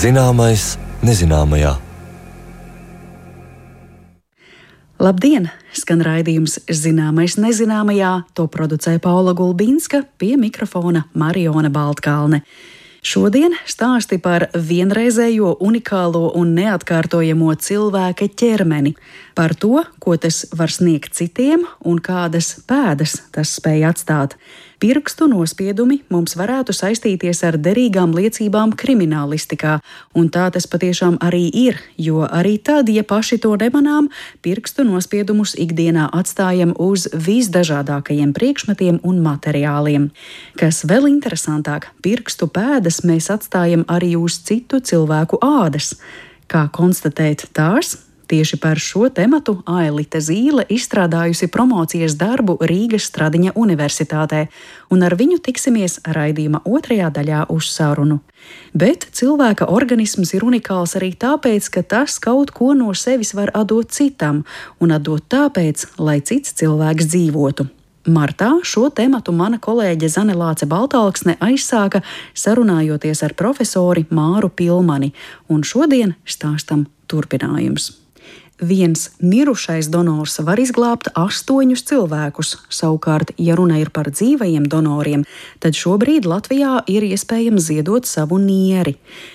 Zināmais nezināmajā. Labdien! Skan raidījums Zināmais nezināmajā, to producē Paula Gulbinska, pie mikrofona Mariona Baltkalne. Šodien stāsti par vienreizējo, unikālo un neatkārtojamo cilvēka ķermeni, par to, ko tas var sniegt citiem un kādas pēdas tas spēj atstāt. Pirkstu nospiedumi mums varētu saistīties ar derīgām liecībām kriminālistikā, un tā tas patiešām arī ir, jo arī tad, ja paši to nemanām, pirkstu nospiedumus ikdienā atstājam uz visdažādākajiem priekšmetiem un materiāliem. Kas vēl interesantāk, pirkstu pēdas mēs atstājam arī uz citu cilvēku ādas. Kā konstatēt tās? Tieši par šo tematu Ailita Zīle izstrādājusi promocijas darbu Rīgas Stradiņa Universitātē, un ar viņu tiksimies raidījuma otrajā daļā uz sarunu. Bet cilvēka organisms ir unikāls arī tāpēc, ka tas kaut ko no sevis var atdot citam, un atdot tāpēc, lai cits cilvēks dzīvotu. Martā šo tematu mana kolēģe Zane Lāce Baltalksne aizsāka sarunājoties ar profesori Māru Pilmani, un šodien stāstam turpinājums. Viens mirušais donors var izglābt 8 cilvēkus, savukārt, ja runa ir par dzīvajiem donoriem, tad šobrīd Latvijā ir iespējams ziedot savu nieri.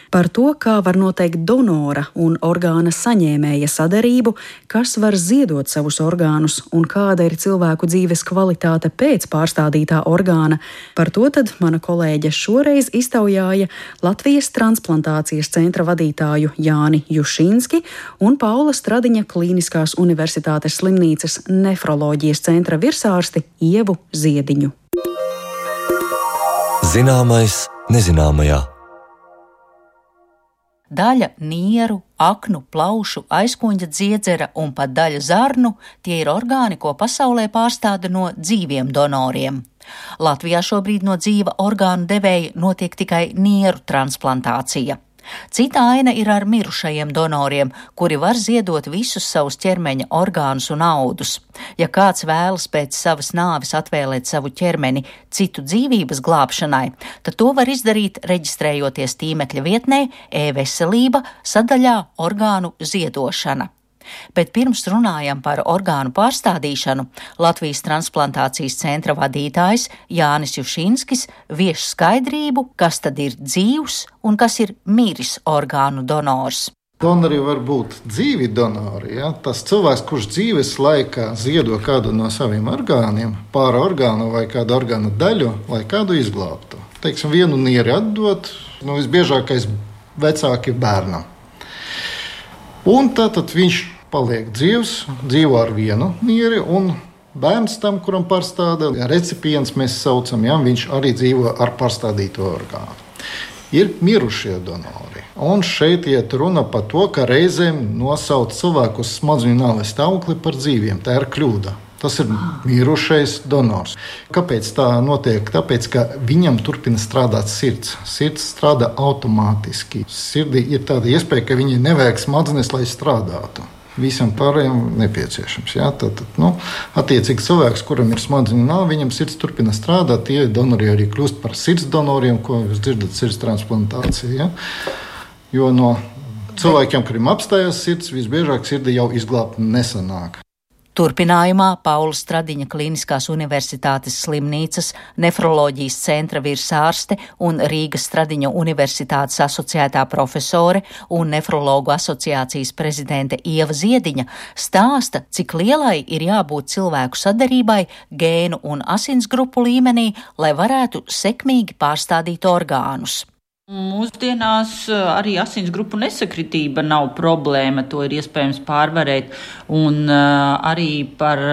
Par to, kā var noteikt donora un orgāna saņēmēja sadarību, kas var ziedot savus orgānus un kāda ir cilvēku dzīves kvalitāte pēc pārstādītā orgāna, par to tad mana kolēģe šoreiz iztaujāja Latvijas transplantācijas centra vadītāju Jāni Jušinski un Paula Stradiņa Klīniskās Universitātes slimnīcas nefroloģijas centra virsārsti Ievu Ziediņu. Zināmais nezināmajā. Daļa nieru, aknu, plaušu, aizkuņģa dziedzera un pat daļa zarnu – tie ir orgāni, ko pasaulē pārstāda no dzīviem donoriem. Latvijā šobrīd no dzīva orgānu devēja notiek tikai nieru transplantācija. Cita aina ir ar mirušajiem donoriem, kuri var ziedot visus savus ķermeņa orgānus un audus. Ja kāds vēlas pēc savas nāves atvēlēt savu ķermeni citu dzīvības glābšanai, tad to var izdarīt, reģistrējoties tīmekļa vietnē e-veselība sadaļā orgānu ziedošana. Bet pirms runājam par orgānu pārstādīšanu, Latvijas transplantācijas centra vadītājs Jānis Jušinskis vieš skaidrību, kas tad ir dzīvs un kas ir miris orgānu donors. Donori var būt dzīvi donori. Ja? Tas cilvēks, kurš dzīves laikā ziedo kādu no saviem orgāniem, pāri orgānu vai kādu orgānu daļu, lai kādu izglābtu. Teiksim, vienu nieri atdot, visbiežākais vecāki bērnam. Un tātad viņš paliek dzīvs, dzīvo ar vienu nieri, un bērns tam, kuram pārstāda, recipients mēs saucam, ja, viņš arī dzīvo ar pārstādīto orgānu. Ir mirušie donori. Un šeit iet runa par to, ka reizēm nosauc cilvēku uz smadzeņu nāves stāvokli par dzīviem. Tā ir kļūda. Tas ir mirušais donors. Kāpēc tā notiek? Tāpēc, ka viņam turpina strādāt sirds. Sirds strādā automātiski. Sirdī ir tāda iespēja, ka viņai nevajag smadzenes, lai strādātu. Visam pārējiem nepieciešams. Ja? Tad, attiecīgi cilvēks, kuram ir smadzeņu nāve, viņam sirds turpina strādāt. Tie donori arī kļūst par sirds donoriem, ko jūs dzirdat sirds transplantācija. Ja? Jo no cilvēkiem, kuriem apstājās sirds, visbiežāk sirdi jau izglābt nesanāk. Turpinājumā Paula Stradiņa Klīniskās Universitātes slimnīcas nefroloģijas centra virsārste un Rīgas Stradiņa Universitātes asociētā profesore un nefrologu asociācijas prezidente Ieva Ziediņa stāsta, cik lielai ir jābūt cilvēku sadarībai gēnu un asinsgrupu līmenī, lai varētu sekmīgi pārstādīt orgānus. Mūsdienās arī asinsgrupu nesakritība nav problēma, to ir iespējams pārvarēt, un arī par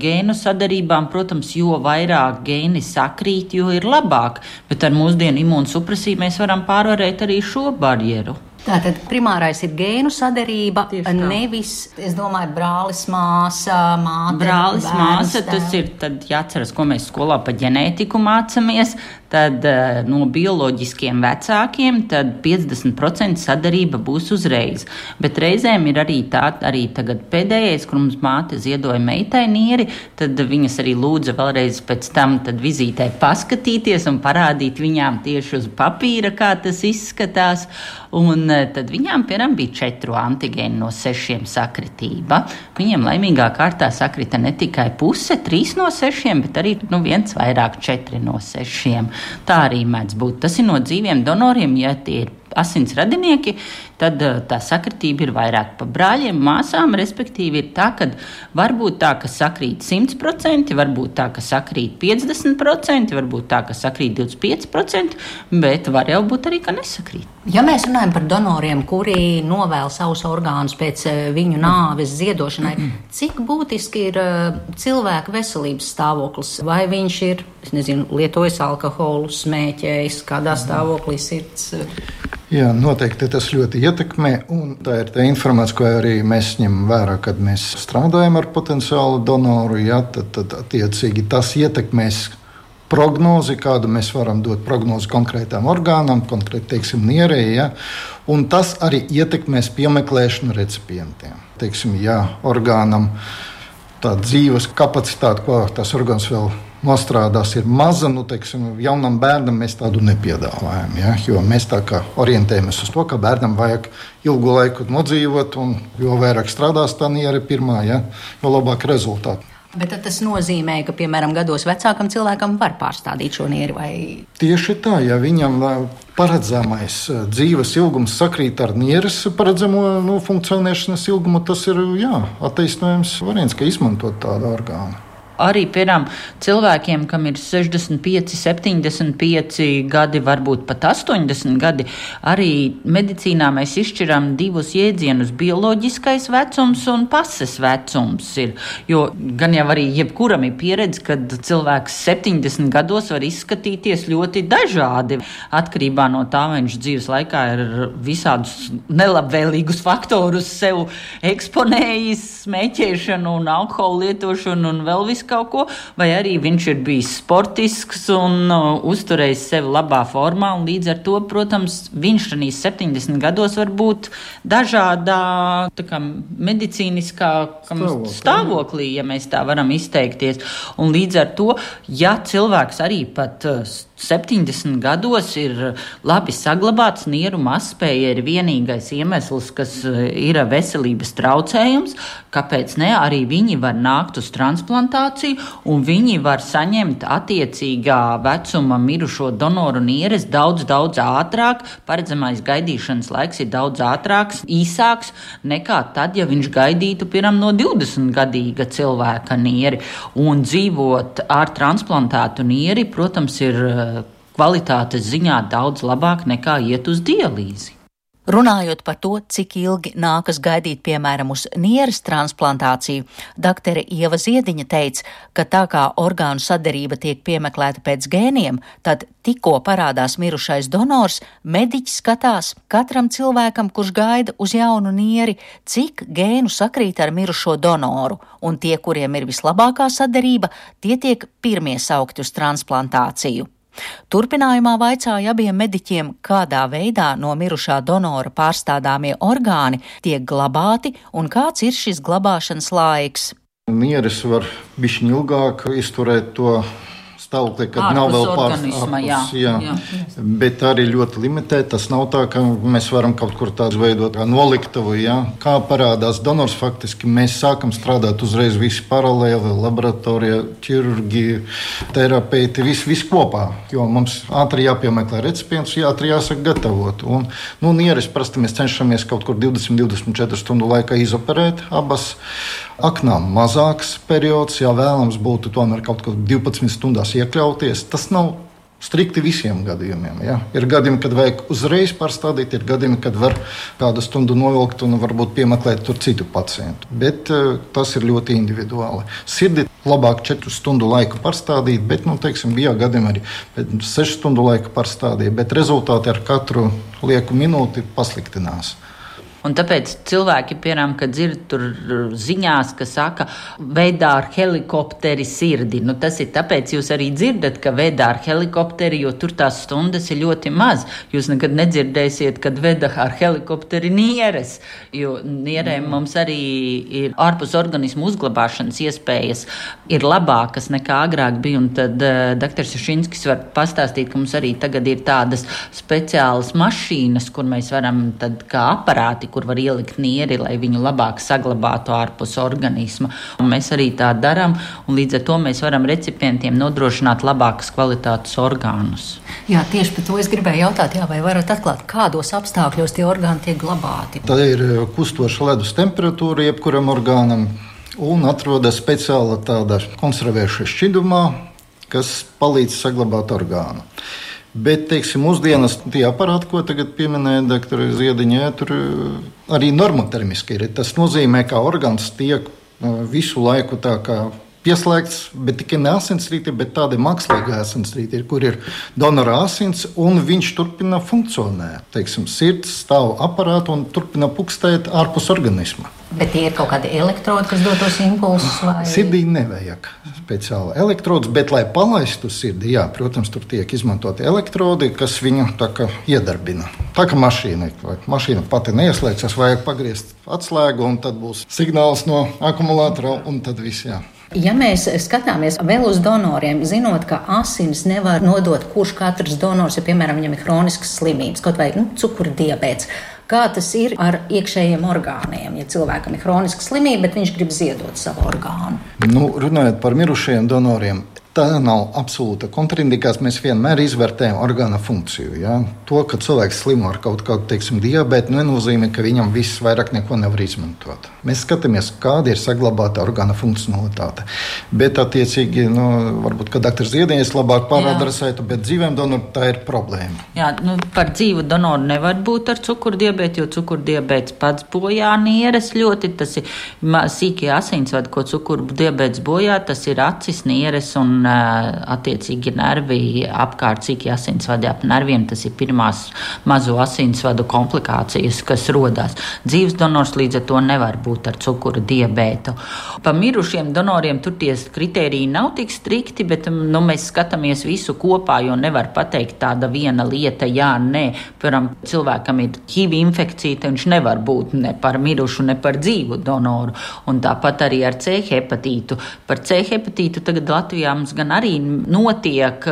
gēnu sadarībām, protams, jo vairāk gēni sakrīt, jo ir labāk, bet ar mūsdienu imūnsupresiju mēs varam pārvarēt arī šo barjeru. Tātad primārais ir gēnu sadarība, nevis, es domāju, brālis, māsa, māte. Brālis, māsa, tas ir tad jāatceras, ko mēs skolā pa ģenētiku mācamies. tad no bioloģiskiem vecākiem tad 50% sadarība būs uzreiz. Bet reizēm ir arī tagad pēdējais, kur mums māte ziedoja meitai nieri, tad viņas arī lūdza vēlreiz pēc tam tad vizītē paskatīties un parādīt viņām tieši uz papīra, kā tas izskatās. Un tad viņām, piemēram, bija 4 antigēni no 6 sakritība. Viņiem laimīgā kārtā sakrita ne tikai puse, 3 no 6, bet arī viens vairāk 4 no 6. Tā arī mēdz būt. Tas ir no dzīviem donoriem, ja tie ir asins radinieki, tad tā sakritība ir vairāk. Pa brāļiem, māsām, respektīvi, ir tā, ka varbūt tā, ka sakrīt 100%, varbūt tā, ka sakrīt 50%, varbūt tā, ka sakrīt 25%, bet var jau būt arī, ka nesakrīt. Ja mēs runājam par donoriem, kuri novēl savus orgānus pēc viņu nāves ziedošanai, cik būtiski ir cilvēka veselības stāvoklis? Vai viņš ir, lietojis alkoholu, smēķējis, kādā stāvoklī sirds? Jā, noteikti tas ļoti ietekmē, un tā ir tā informācija, ko arī mēs ņemam vērā, kad mēs strādājam ar potenciālu donoru. Jā, tad attiecīgi tas ietekmēs prognozi, kādu mēs varam dot prognozi konkrētām orgānām, konkrēti, teiksim, nierei, ja? Un tas arī ietekmēs piemeklēšanu recipientiem. Teiksim, ja orgānam tā dzīves kapacitāte, ko tas orgāns vēl nostrādās, ir maza, teiksim, jaunam bērnam mēs tādu nepiedāvājam, ja? Jo mēs tā kā orientējamies uz to, ka bērnam vajag ilgu laiku nodzīvot, un jo vairāk strādās tā niere pirmā, ja? Jo labāk rezultāti. Bet tas nozīmē, ka, piemēram, gados vecākam cilvēkam var pārstādīt šo nieri vai? Tieši tā, ja viņam paredzamais dzīves ilgums sakrīt ar nieres paredzamo funkcionēšanas ilgumu, tas ir, attaisnojams variants, ka izmantot tādu orgānu. Arī, piemēram, cilvēkiem, kam ir 65, 75 gadi, varbūt pat 80 gadi, arī medicīnā mēs izšķiram 2 jēdzienus - bioloģiskais vecums un pases vecums. Jo gan jau arī jebkuram ir pieredze, kad cilvēks 70 gados var izskatīties ļoti dažādi. Atkarībā no tā, vai viņš dzīves laikā ir visādus nelabvēlīgus faktorus sev eksponējis, smēķēšanu un alkoholu lietošanu un vēl visu kaut ko, vai arī viņš ir bijis sportisks un uzturējis sevi labā formā, un līdz ar to, protams, viņš šajos 70 gados var būt dažādā medicīniskā stāvoklī, ja mēs tā varam izteikties. Un līdz ar to, ja cilvēks arī pat 70 gados ir labi saglabāts, nieru mazspēja ir vienīgais iemesls, kas ir veselības traucējums, kāpēc ne, arī viņi var nākt uz transplantāciju un viņi var saņemt attiecīgā vecuma mirušo donoru nieres daudz ātrāk. Paredzamais gaidīšanas laiks ir daudz ātrāks, īsāks nekā tad, ja viņš gaidītu piemēram no 20-gadīga cilvēka nieri. Un dzīvot ar transplantētu nieri, protams, ir kvalitātes ziņā daudz labāk nekā iet uz dialīzi. Runājot par to, cik ilgi nākas gaidīt, piemēram, uz nieres transplantāciju, doktore Ieva Ziediņa teica, ka tā kā orgānu saderība tiek piemeklēta pēc gēniem, tad tikko parādās mirušais donors, mediķis skatās katram cilvēkam, kurš gaida uz jaunu nieri, cik gēnu sakrīt ar mirušo donoru, un tie, kuriem ir vislabākā saderība, tie tiek pirmie saukti uz transplantāciju. Turpinājumā vaicāja abiem mediķiem, kādā veidā no mirušā donora pārstādāmie orgāni tiek glabāti un kāds ir šis glabāšanas laiks. Nieres var bišķiņ ilgāk izturēt to stāvokli, kad nav vēl pārstāvs, bet arī ļoti limitēt. Tas nav tā, ka mēs varam kaut kur tādu veidot kā noliktavu, Kā parādās donors, faktiski mēs sākam strādāt uzreiz visi paralēli, laboratorija, ķirurģija, terapeiti, viss kopā, jo mums ātri jāpiemeklē recipients, ātri jāsaka gatavot. Un, nieres parasti mēs cenšamies kaut kur 20-24 stundu laikā izoperēt abas. Aknām mazāks periods, vēlams būtu tomēr kaut kur 12 stundās iekļauties. Tas nav strikti visiem gadījumiem. Ir gadījumi, kad vajag uzreiz pārstādīt, ir gadījumi, kad var kādu stundu novilkt un varbūt piemeklēt tur citu pacientu. Bet tas ir ļoti individuāli. Sirdi labāk 4 stundu laiku pārstādīt, bet, bija gadījumi arī 6 stundu laiku pārstādīt, bet rezultāti ar katru lieku minūti pasliktinās. Un tāpēc cilvēki, piemēram, kad dzird tur ziņās, ka saka, vedā ar helikopteri sirdi. Tas ir tāpēc jūs arī dzirdat, ka vedā ar helikopteri, jo tur tās stundas ir ļoti maz. Jūs nekad nedzirdēsiet, kad veda ar helikopteri nieres, jo nierēm mums arī ir ārpus organismu uzglabāšanas iespējas ir labākas nekā agrāk bija, un tad dr. Sušinskis var pastāstīt, ka mums arī tagad ir tādas speciālas mašīnas, kur mēs varam tad kā aparāti, kur var ielikt nieri, lai viņu labāk saglabātu ārpus organisma. Un mēs arī tā darām, un līdz ar to mēs varam recipientiem nodrošināt labākas kvalitātes orgānus. Jā, tieši par to es gribēju jautāt, vai varat atklāt, kādos apstākļos tie orgāni tiek glabāti? Tā ir kustoša ledus temperatūra jebkuram orgānam, un atrodas speciāla tāda konservēša šķidrumā, kas palīdz saglabāt orgānu. Bet, teiksim, mūsdienas tie aparāti, ko tagad pieminēja dr. Ziediņa, tur arī normotermiski ir. Tas nozīmē, ka orgāns tiek visu laiku tā kā pieslēgts, bet tikai ne asinsrīte, bet tāda mākslīga asinsrīte, kur ir donora asins, un viņš turpina funkcionēt. Teiksim, sirds stāv aparātu un turpina pukstēt ārpus organisma. Bet tie ir kaut kādi elektrodi, kas dod tos impulsus? Vai... Sirdī nevajag speciāli elektrodus, bet, lai palaistu sirdi, jā, protams, tur tiek izmantoti elektrodi, kas viņu tā kā iedarbina. Tā kā mašīna pati neieslēdzas, vajag pagriezt atslēgu, un tad būs signāls no akumulātora, un tad viss, jā. Ja mēs skatāmies vēl uz donoriem, zinot, ka asinis nevar nodot katrs donors, ja, piemēram, viņam ir hroniskas slimības, kaut vai cukura diabēts, kā tas ir ar iekšējiem orgāniem, ja cilvēkam ir hroniska slimība, bet viņš grib ziedot savu orgānu? Runājot par mirušajiem donoriem, tā nav absolūta kontraindikācija. Mēs vienmēr izvērtējam orgāna funkciju. Ja? To, ka cilvēks slimo ar kaut kādu, teiksim, diabētu, nenozīmē, ka viņam viss vairāk neko nevar izmantot. Mēs skatāmies, kāda ir saglabāta orgāna funkcionalitāte. Bet, attiecīgi, varbūt, ka dr. Ziediņas labāk pāradresētu, bet dzīvēm donoru tā ir problēma. Jā, par dzīvu donoru nevar būt ar cukurdiabētu, jo cukurdiabēts pats bojā nieres ļoti. Tas ir sīkie asinsvadi, ko cukurdiabēts bojā, tas ir acis, nieres un attiecīgi nervi apkārt, cik asinsvadi ap nerviem, tas ir pirmās mazo asinsvadu komplikācijas, kas rodās. Dzīves donors līdz ar to nevar būt ar cukura diabētu. Pa mirušiem donoriem tur tie kritēriji nav tik strikti, bet mēs skatāmies visu kopā, jo nevar pateikt tāda viena lieta, jā, nē. Piemēram, cilvēkam ir HIV infekcija, viņš nevar būt ne par mirušu, ne par dzīvu donoru. Un tāpat arī ar C hepatītu. Par C hepatītu tagad Latvijā mums gan arī notiek.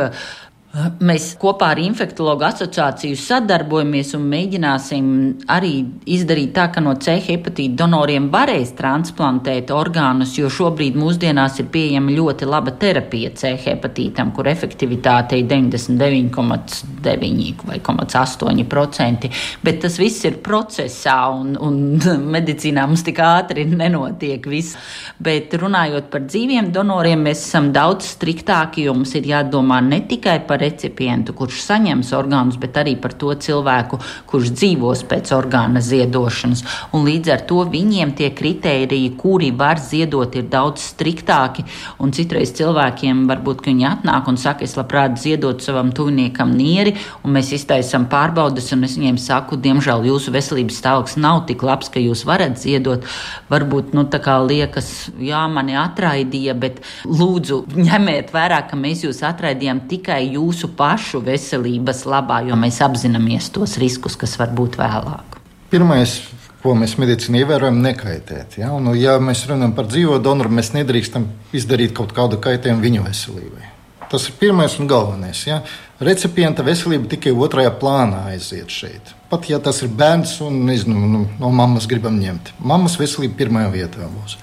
Mēs kopā ar Infektologu asociāciju sadarbojamies un mēģināsim arī izdarīt tā, ka no C hepatīta donoriem varēs transplantēt orgānus, jo šobrīd mūsdienās ir pieejama ļoti laba terapija C hepatītam, kur efektivitāte ir 99,9 vai 8%, bet tas viss ir procesā un medicīnā mums tik ātri nenotiek viss. Bet runājot par dzīviem donoriem, mēs esam daudz striktāki, jo mums ir jādomā ne tikai par recipientu, kurš saņems orgānus, bet arī par to cilvēku, kurš dzīvos pēc orgāna ziedošanas. Un līdz ar to viņiem tie kritēriji, kuri var ziedot, ir daudz striktāki. Un citreiz cilvēkiem varbūt, ka viņi atnāk un saka, es labprāt ziedot savam tuviniekam nieri, un mēs iztaisam pārbaudes, un es viņiem saku, diemžēl jūsu veselības stāvoklis nav tik labs, ka jūs varat ziedot. Varbūt, tā kā liekas, jā, mani atraidīja, bet lūdzu ņemiet vērā, ka mēs jūs atraidījām tikai jūsu pašu veselības labā, jo mēs apzināmies tos riskus, kas var būt vēlāk. Pirmais, ko mēs medicīnā ievērojam, nekaitēt. Ja? Un, ja mēs runājam par dzīvo donoru, mēs nedrīkstam izdarīt kaut kādu kaitējumu viņa veselībai. Tas ir pirmais un galvenais. Ja? Recipienta veselība tikai otrajā plānā aiziet šeit. Pat ja tas ir bērns un no mammas gribam ņemt. Mammas veselība pirmajā vietā būs.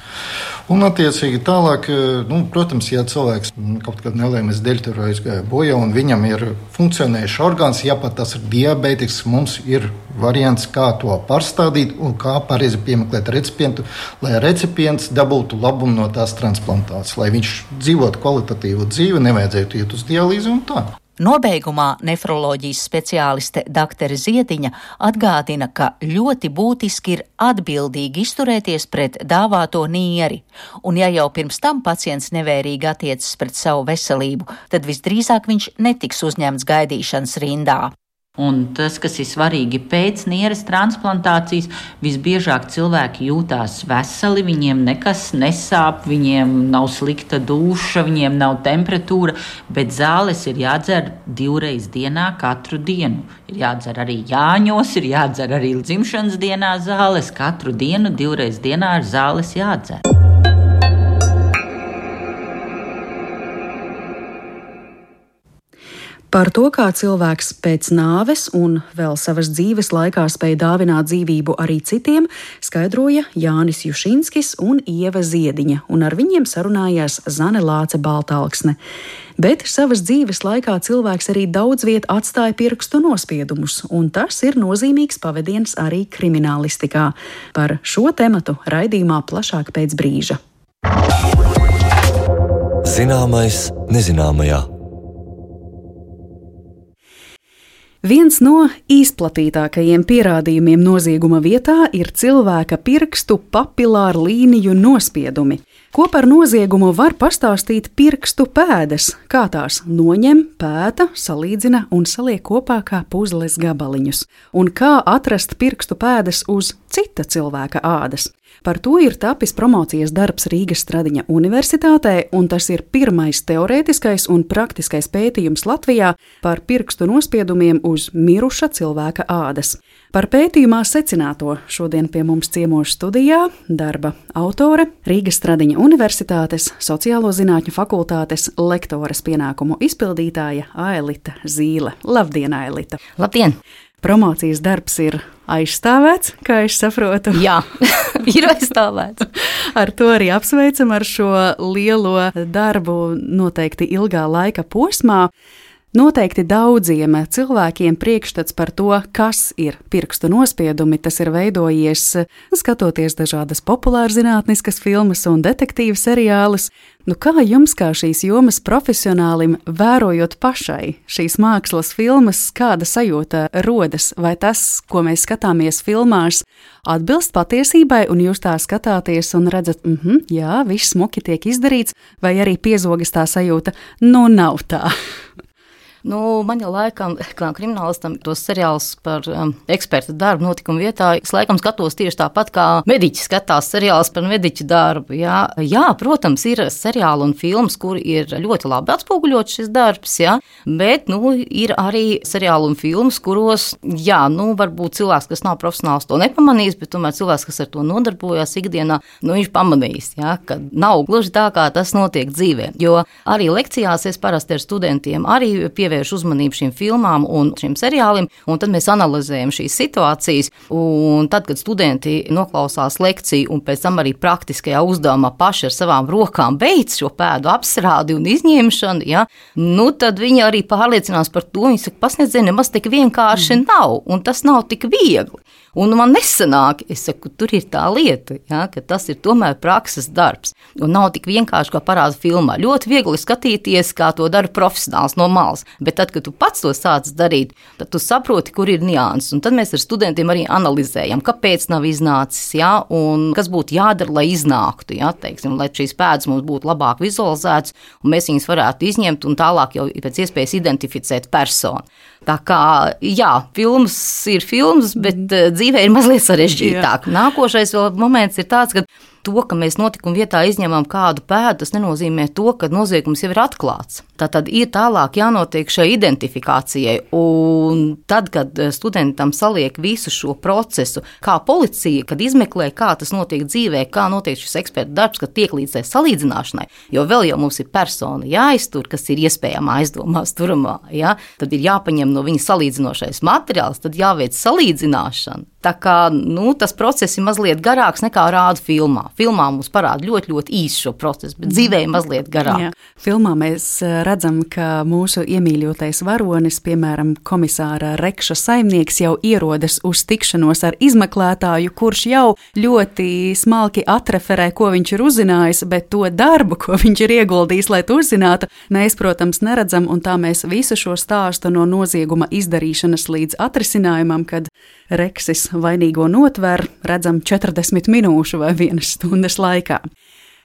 Un, attiecīgi, tālāk, protams, ja cilvēks kaut kādā nelaimes dēļ tur aizgāja bojā un viņam ir funkcionējuši orgāns, ja pat tas ir diabētisks, mums ir variants, kā to pārstādīt un kā pareizi piemeklēt recipientu, lai recipients dabūtu labumu no tās transplantācijas, lai viņš dzīvotu kvalitatīvu dzīvi, nevajadzētu iet uz dialīzi un tā. Nobeigumā nefroloģijas speciāliste dr. Ziediņa atgādina, ka ļoti būtiski ir atbildīgi izturēties pret dāvāto nieri, un ja jau pirms tam pacients nevērīgi attiecas pret savu veselību, tad visdrīzāk viņš netiks uzņemts gaidīšanas rindā. Un tas, kas ir svarīgi pēc nieres transplantācijas, visbiežāk cilvēki jūtās veseli, viņiem nekas nesāp, viņiem nav slikta duša, viņiem nav temperatūra, bet zāles ir jādzer 2 reizes dienā katru dienu. Ir jādzer arī Jāņos, ir jādzer arī dzimšanas dienā zāles, katru dienu 2 reizes dienā ir zāles jādzer. Par to, kā cilvēks pēc nāves un vēl savas dzīves laikā spēja dāvināt dzīvību arī citiem, skaidroja Jānis Jušinskis un Ieva Ziediņa, un ar viņiem sarunājās Zane Lāce Baltalksne. Bet savas dzīves laikā cilvēks arī daudz viet atstāja pirkstu nospiedumus, un tas ir nozīmīgs pavadiens arī kriminālistikā. Par šo tematu raidījumā plašāk pēc brīža. Zināmais nezināmajā. Viens no izplatītākajiem pierādījumiem nozieguma vietā ir cilvēka pirkstu papilāru līniju nospiedumi. Ko par noziegumu var pastāstīt pirkstu pēdas, kā tās noņem, pēta, salīdzina un saliek kopā kā puzles gabaliņus, un kā atrast pirkstu pēdas uz cita cilvēka ādas. Par to ir tapis promocijas darbs Rīgas Stradiņa Universitātē, un tas ir pirmais teorētiskais un praktiskais pētījums Latvijā par pirkstu nospiedumiem uz miruša cilvēka ādas. Par pētījumā secināto šodien pie mums ciemos studijā darba autore, Rīgas Stradiņa Universitātes Sociālo zinātņu fakultātes lektoras pienākumu izpildītāja Aelita Zīle. Labdien, Aelita! Labdien! Promocijas darbs ir aizstāvēts, kā es saprotu. Jā, ir aizstāvēts. Ar to arī apsveicam ar šo lielo darbu noteikti ilgā laika posmā. Noteikti daudziem cilvēkiem priekšstats par to, kas ir pirkstu nospiedumi, tas ir veidojies skatoties dažādas populārzinātniskas filmas un detektīvu seriālus. Kā jums, kā šīs jomas profesionālim, vērojot pašai šīs mākslas filmas, kāda sajūta rodas? Vai tas, ko mēs skatāmies filmās, atbilst patiesībai, un jūs tā skatāties un redzat, jā, viss smuki tiek izdarīts, vai arī piezogas tā sajūta, nav tā? Man jau laikam, kā kriminālistam, tos seriālus par eksperta darbu notikumu vietā, es laikam skatos tieši tāpat, kā mediķi skatās seriālus par mediķu darbu. Jā, protams, ir seriāli un filmas, kur ir ļoti labi atspoguļot šis darbs, bet, ir arī seriāli un filmas, kuros, varbūt cilvēks, kas nav profesionāls, to nepamanīs, bet tomēr cilvēks, kas ar to nodarbojās ikdienā, viņš pamanīs, ka nav gluži tā, kā tas notiek dzīvē. Jo arī lekcijās es parasti ar studentiem arī pievēršu uzmanību šīm filmām un šiem seriāliem, un tad mēs analizējam šīs situācijas, un tad, kad studenti noklausās lekciju un pēc tam arī praktiskajā uzdevumā paši ar savām rokām beidz šo pēdu apstrādi un izņemšanu, tad viņi arī pārliecinās par to, viņi saka, pasniedzēji, nemaz tik vienkārši nav, un tas nav tik viegli. Un man nesanāk, es saku, tur ir tā lieta, ka tas ir tomēr prakses darbs, un nav tik vienkārši, kā parāda filmā. Ļoti viegli skatīties, kā to dara profesionāls no malas, bet tad, kad tu pats to sāc darīt, tad tu saproti, kur ir nianses, un tad mēs ar studentiem arī analizējam, kāpēc nav iznācis, un kas būtu jādara, lai iznāktu, lai šīs pēdas mums būtu labāk vizualizētas, un mēs viņas varētu izņemt un tālāk jau pēc iespējas identificēt personu. Tā kā, filmas ir filmas, bet dzīvē ir mazliet sarežģītāk. Nākošais moments ir tāds, ka to, ka mēs notikuma vietā izņemam kādu pēdu, tas nenozīmē to, ka noziegums jau ir atklāts. Tātad ir tālāk jānotiek šai identifikācijai, un tad, kad studentam saliek visu šo procesu, kā policija, kad izmeklē, kā tas notiek dzīvē, kā notiek šis eksperta darbs, kad tiek līdz salīdzināšanai, jo vēl jau mums ir persona jāiztur, kas ir iespējamā aizdomās turamā, tad ir jāpaņem no viņa salīdzinošais materiāls, tad jāveic salīdzināšana. Tā kā, tas process ir mazliet garāks nekā rāda filmā. Filmā mums parāda ļoti, ļoti īsu šo procesu, bet dzīvē ir mazliet garāk. Filmā mēs redzam, ka mūsu iemīļotais varonis, piemēram, komisāra Rekša saimnieks, jau ierodas uz tikšanos ar izmeklētāju, kurš jau ļoti smalki atreferē, ko viņš ir uzzinājis, bet to darbu, ko viņš ir ieguldījis, lai to uzzinātu, mēs, protams, neredzam, un tā mēs visu šo stāstu no nozieguma izdarīšanas līdz atrisinājumam, kad Reksis vainīgo notver, redzam 40 minūšu vai 1 stundas laikā.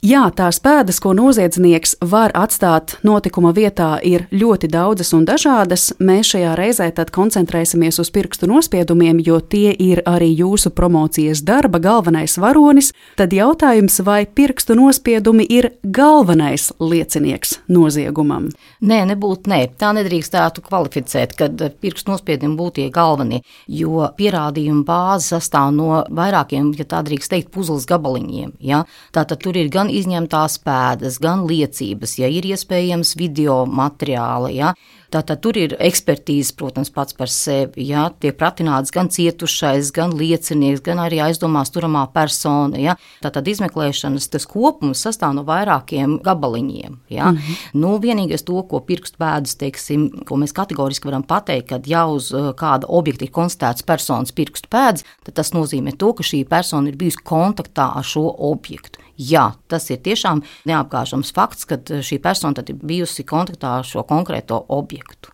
Jā, tās pēdas, ko noziedznieks var atstāt notikuma vietā, ir ļoti daudzas un dažādas. Mēs šajā reizē tad koncentrēsimies uz pirkstu nospiedumiem, jo tie ir arī jūsu promocijas darba galvenais varonis. Tad jautājums, vai pirkstu nospiedumi ir galvenais liecinieks noziegumam? Nē, nebūtu, nē. Tā nedrīkstētu kvalificēt, kad pirkstu nospiedumi būtu tie galvenie, jo pierādījumu bāze sastāv no vairākiem, ja tā drīkst teikt, puzles gabaliņiem. Ja? Tātad tur ir gan izņemtās pēdas, gan liecības, ja ir iespējams video materiāli, ja. Tātad tur ir ekspertīze, protams, pats par sevi, ja. Tiek pratināts gan cietušais, gan liecinieks, gan arī aizdomās turamā persona, ja. Tātad izmeklēšanas tas kopums sastāv no vairākiem gabaliņiem, ja. Nu, vienīgais to, ko pirkstu pēdas, teiksim, ko mēs kategoriski varam pateikt, kad ja uz kāda objekta ir konstatēts personas pirkstu pēdas, tad tas nozīmē to, ka šī persona ir bijusi kontaktā ar šo objektu. Jā, tas ir tiešām neapgāžams fakts, ka šī persona tad ir bijusi kontaktā ar šo konkrēto objektu.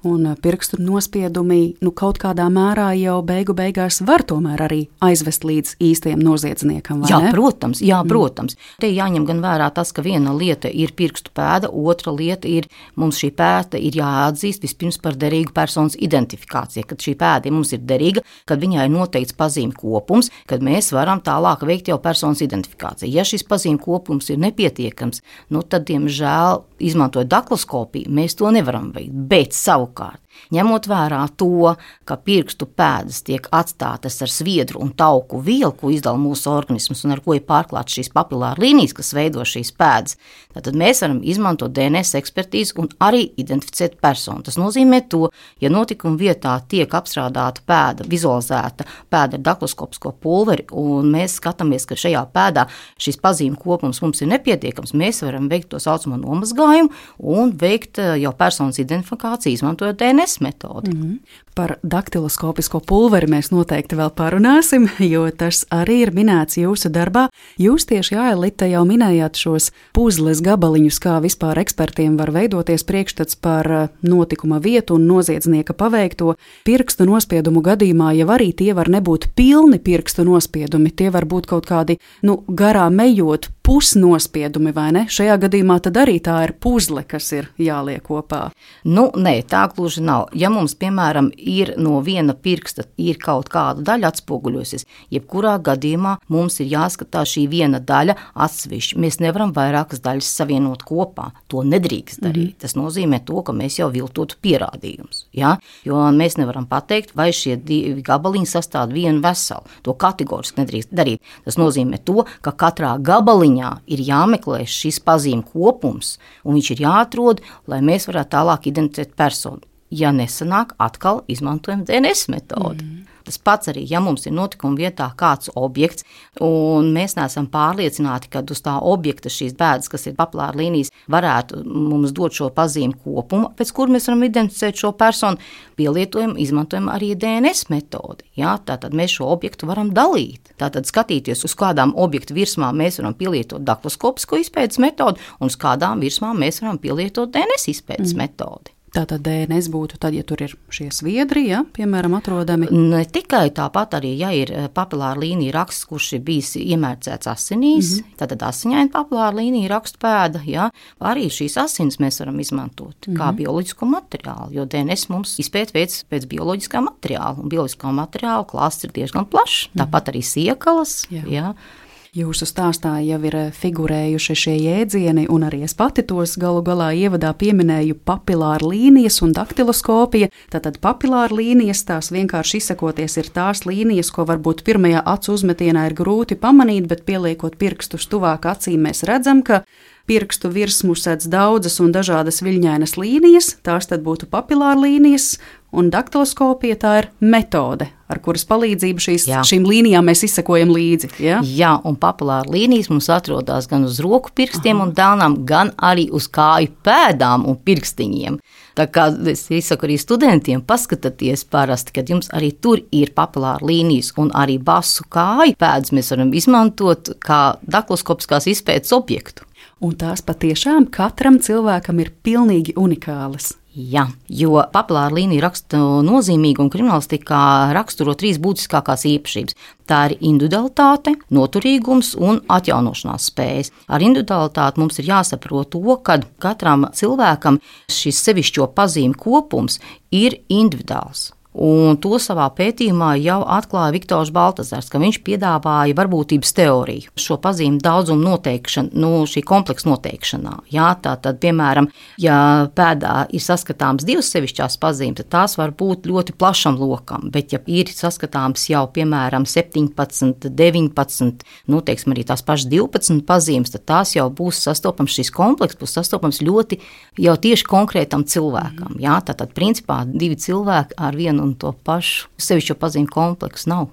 Un pirkstu nospiedumi kaut kādā mērā jau beigās var tomēr arī aizvest līdz īstajam noziedzniekam, vai jā, ne? Jā, protams. Te jāņem gan vērā tas, ka viena lieta ir pirkstu pēda, otra lieta ir, mums šī pēda ir jāatzīst vispirms par derīgu personas identifikāciju, kad šī pēda mums ir derīga, kad viņai ir noteikts pazīmi kopums, kad mēs varam tālāk veikt jau personas identifikāciju. Ja šis pazīmi kopums ir nepietiekams, tad, diemžēl, izmantojot daktiloskopiju, mēs to nevaram veikt, bet savukārt, ņemot vērā to, ka pirkstu pēdas tiek atstātas ar sviedru un tauku vielu, ko izdala mūsu organisms un ar ko ir pārklāts šīs papilāra līnijas, kas veido šīs pēdas, tad mēs varam izmantot DNS ekspertīzi un arī identificēt personu. Tas nozīmē to, ja notikuma vietā tiek apstrādāta pēda, vizualizēta pēda ar daktiloskopisko pulveri, un mēs skatāmies, ka šajā pēdā šis pazīmi kopums mums ir nepietiekams, mēs varam veikt to saucamo nomazgājumu un veikt jau personas identifikāciju, izmantojot DNS metodi. Par daktiloskopisko pulveri mēs noteikti vēl parunāsim, jo tas arī ir minēts jūsu darbā. Jūs tieši, Ailita, jau minējāt šos puzles gabaliņus, kā vispār ekspertiem var veidoties priekšstats par notikuma vietu un noziedznieka paveikto. Pirkstu nospiedumu gadījumā jau arī tie var nebūt pilni pirkstu nospiedumi, tie var būt kaut kādi, garām ejot pusnospiedumi, vai ne? Šajā gadījumā tad arī tā ir puzle, kas ir jāliek kopā. Nē, tā gluži nav. Ja mums, piemēram, ir no viena pirksta ir kaut kāda daļa atspoguļosies, jebkurā gadījumā mums ir jāskatās šī viena daļa atsevišķi. Mēs nevaram vairākas daļas savienot kopā. To nedrīkst darīt. Tas nozīmē to, ka mēs jau viltotu pierādījumus. Ja? Jo mēs nevaram pateikt, vai šie divi gabaliņi sastāv vienu veselu. To kategoriski nedrīkst darīt. Tas nozīmē to, ka katrā gabaliņā ir jāmeklē šis pazīmi kopums, un viņš ir jāatrod, lai mēs varētu tālāk identificēt personu. Ja nesanāk, atkal izmantojam DNS metodi. Tas pats arī, ja mums ir notikuma vietā kāds objekts, un mēs neesam pārliecināti, ka uz tā objekta šīs pēdas, kas ir papilāra līnijas, varētu mums dot šo pazīmi kopumu, pēc kur mēs varam identificēt šo personu, pielietojam, izmantojam arī DNS metodi. Ja? Tātad mēs šo objektu varam dalīt. Tātad skatīties, uz kādām objektu virsmām mēs varam pielietot daktiloskopisko izpētes metodi, un uz kādām virsmām mēs varam pielietot DNS izpētes metodi. Tātad DNS būtu tad, ja tur ir šie sviedri, ja, piemēram, atrodami? Ne tikai tāpat arī, ja ir papilāra līnija raksts, kurš ir bijis iemērcēts asinīs, tātad asiņaina papilāra līnija rakstu pēda, ja, arī šīs asins mēs varam izmantot kā bioloģisko materiālu, jo DNS mums izpēt veids pēc bioloģiskā materiāla, un bioloģiskā materiāla klāsts ir diezgan plašs, tāpat arī siekalas, ja. Jūsu stāstā jau ir figurējuši šie jēdzieni, un arī es pati tos galu galā ievadā pieminēju papilāra līnijas un daktiloskopija. Tātad papilāra līnijas, tās vienkārši izsakoties ir tās līnijas, ko varbūt pirmajā acu uzmetienā ir grūti pamanīt, bet pieliekot pirkstus tuvāk acīm mēs redzam, ka pirkstu virsmu sedz daudzas un dažādas viļņainas līnijas, tās tad būtu papilāra līnijas, un daktiloskopija tā ir metode, ar kuras palīdzību šīm līnijām mēs izsekojam līdzi. Ja? Jā, un papilāra līnijas mums atrodas gan uz roku pirkstiem un dēlnām, gan arī uz kāju pēdām un pirkstiņiem. Tā kā es izsaku arī studentiem, paskatieties parasti, kad jums arī tur ir papilāra līnijas un arī basu kāju pēdas mēs varam izmantot kā daktiloskopiskās izpētes objektu. Un tās patiešām katram cilvēkam ir pilnīgi unikālas. Jā, jo papilāra līnija raksta nozīmīgu un kriminālistikā raksturo 3 būtiskākās īpašības. Tā ir individualitāte, noturīgums un atjaunošanās spējas. Ar individualitāti mums ir jāsaprot to, ka katram cilvēkam šis sevišķo pazīmi kopums ir individuāls. Un to savā pētījumā jau atklāja Viktors Baltazars, ka viņš piedāvāja varbūtības teoriju, šo pazīmi daudzumu noteikšanu, šī kompleksa noteikšanā. Jā, tātad, piemēram, ja pēdā ir saskatāms 2 sevišķās pazīmes, tad tās var būt ļoti plašam lokam, bet ja ir saskatāms jau, piemēram, 17, 19, teiksim arī tās pašas 12 pazīmes, tad tās jau būs sastopams, šīs komplekss būs sastopams ļoti jau tieši konkrētam cilvēkam. Jā, tātad, principā, 2 cilvēki ar vienu un to pašu sevišķo pazīmi kompleksu nav.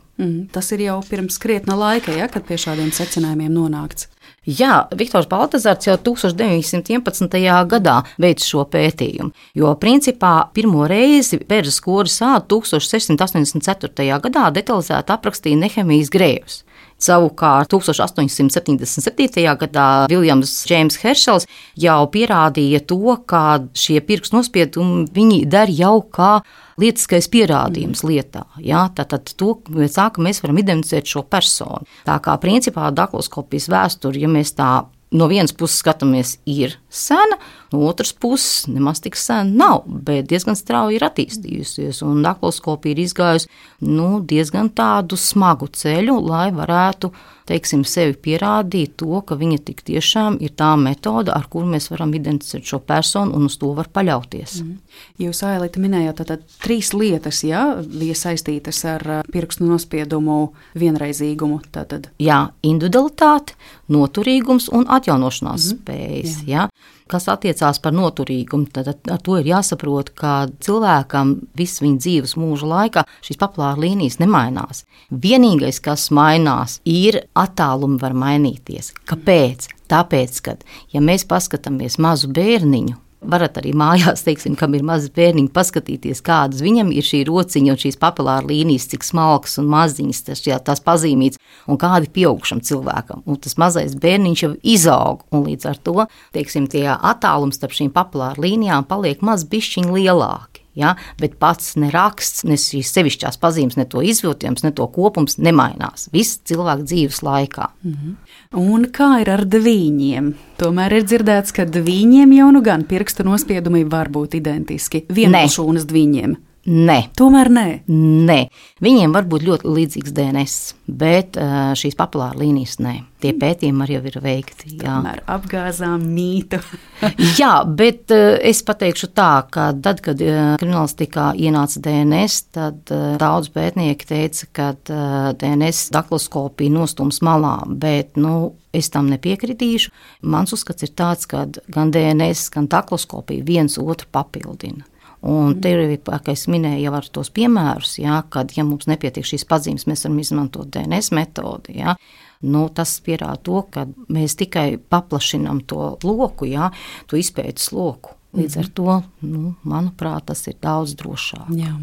Tas ir jau pirms krietna laika, ja, kad pie šādiem secinājumiem nonākts. Jā, Viktors Baltazars jau 1911. gadā veica šo pētījumu, jo principā pirmo reizi Beržas koris ādu 1684. gadā detalizēti aprakstīja Nehemijas grējus. Savukārt 1877. gadā Viljams Džeims Heršels jau pierādīja to, ka šie pirkstu nospiedumi viņi der jau kā lietiskais pierādījums lietā. Jā, tātad to, ka mēs varam identificēt šo personu. Tā kā principā dakloskopijas vēsturi, ja mēs tā no vienas puses skatāmies, ir sena, no otras puses nemaz tik sena nav, bet diezgan strauji ir attīstījusies, un dakloskopija ir izgājusi diezgan tādu smagu ceļu, lai varētu, teiksim, sevi pierādīt to, ka viņa tik tiešām ir tā metode, ar kuru mēs varam identificēt šo personu, un uz to var paļauties. Jūs, Ailita, minējāt tātad 3 lietas, ja, bija saistītas ar pirkstu nospiedumu vienreizīgumu. Tātad. Jā, individualitāte, noturīgums un atjaunošanās spējas. Jā. Kas attiecās par noturīgumu, tad ar to ir jāsaprot, ka cilvēkam visu viņa dzīves mūža laikā šīs papilāra līnijas nemainās. Vienīgais, kas mainās, ir attālumi var mainīties. Kāpēc? Tāpēc, ka, ja mēs paskatāmies mazu bērniņu, varat arī mājās, teiksim, kam ir mazs bērniņi, paskatīties, kādas viņam ir šī rociņa un šīs papilāra līnijas, cik smalkas un maziņas tās pazīmītas, un kādi pieaugušam cilvēkam. Un tas mazais bērniņš jau izaug, un līdz ar to, teiksim, tie attālums starp šīm papilāra līnijām paliek maz bišķiņ lielāki. Ja? Bet pats ne raksts, ne šīs sevišķās pazīmes, ne to izviltojums, ne to kopums nemainās. Viss cilvēka dzīves laikā. Un kā ir ar dvīņiem? Tomēr ir dzirdēts, ka dvīņiem jau nu gan pirkstu nospiedumi var būt identiski vienšūnas dvīņiem. Nē. Tomēr nē. Nē. Viņiem var būt ļoti līdzīgs DNS, bet šīs papilāra līnijas nē. Tie pētījumi arī jau ir veikti. Jā. Tomēr apgāzām mītu. Jā, bet es pateikšu tā, ka tad, kad kriminālistikā ienāca DNS, tad daudz pētnieki teica, ka DNS dakloskopija nostums malā, bet, es tam nepiekritīšu. Mans uzskats ir tāds, ka gan DNS, gan dakloskopija viens otru papildina. Un te ir, kā es minēju, jau ar tos piemērus, kad, ja mums nepietiek šīs pazīmes, mēs varam izmantot DNS metodi. Tas pierāda to, ka mēs tikai paplašinām to loku, to izpētes loku. Līdz ar to, manuprāt, tas ir daudz drošāk. Jā.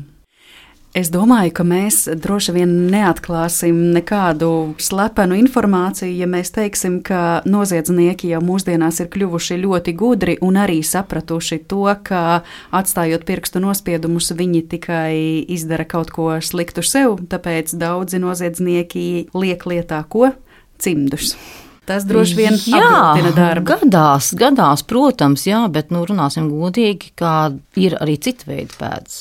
Es domāju, ka mēs droši vien neatklāsim nekādu slepenu informāciju, ja mēs teiksim, ka noziedznieki jau mūsdienās ir kļuvuši ļoti gudri un arī sapratuši to, ka atstājot pirkstu nospiedumus, viņi tikai izdara kaut ko sliktu sev, tāpēc daudzi noziedznieki liek lietā ko? Cimdus. Tas droši vien apgrūtina darbu. Gadās, protams, bet runāsim godīgi, ka ir arī cita veida pēdas.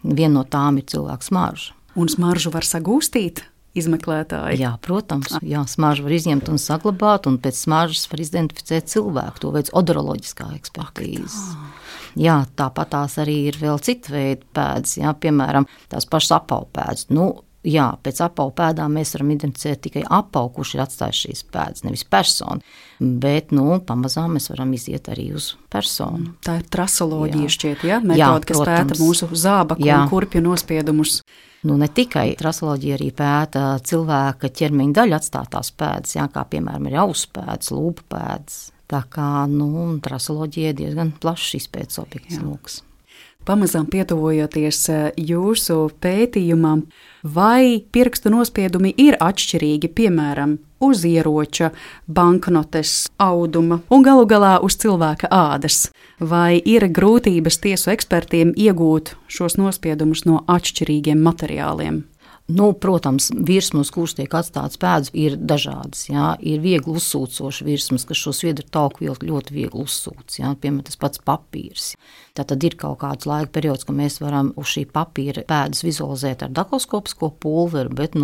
Viena no tām ir cilvēka smarža. Un smaržu var sagūstīt izmeklētāji? Jā, protams. Jā, smaržu var izņemt un saglabāt, un pēc smaržas var identificēt cilvēku. To veids odoroloģiskā ekspertīze. Jā, tāpat tās arī ir vēl cita veida pēdas, piemēram, tās pašas apaupēdas. Jā, pēc apavu pēdām mēs varam identificēt tikai apavu, kurš ir atstājis šīs pēdas, nevis personu. Bet, pamazām mēs varam iziet arī uz personu. Tā ir trasoloģija šķiet, metode, kas pēta mūsu zābaku un kurpju nospiedumus. Ne tikai trasoloģija arī pēta cilvēka ķermeņa daļu atstātās pēdas, kā piemēram ir ausu pēdas, lūpu pēdas. Tā kā, trasoloģija ir diezgan plašs izpētes objekts loks. Pamazām pietuvojoties jūsu pētījumam, vai pirkstu nospiedumi ir atšķirīgi, piemēram, uz ieroča, banknotes, auduma un galu galā uz cilvēka ādas? Vai ir grūtības tiesu ekspertiem iegūt šos nospiedumus no atšķirīgiem materiāliem? Protams, virsmas, kuras tiek atstātas pēdas, ir dažādas. Jā. Ir viegli uzsūcošas virsmas, kas šo sviedru tauku vielu ļoti viegli uzsūc. Jā. Piemēram, tas pats papīrs. Tātad ir kaut kāds laika periods, ka mēs varam uz šī papīra pēdas vizualizēt ar dakloskopisko pulveri, bet,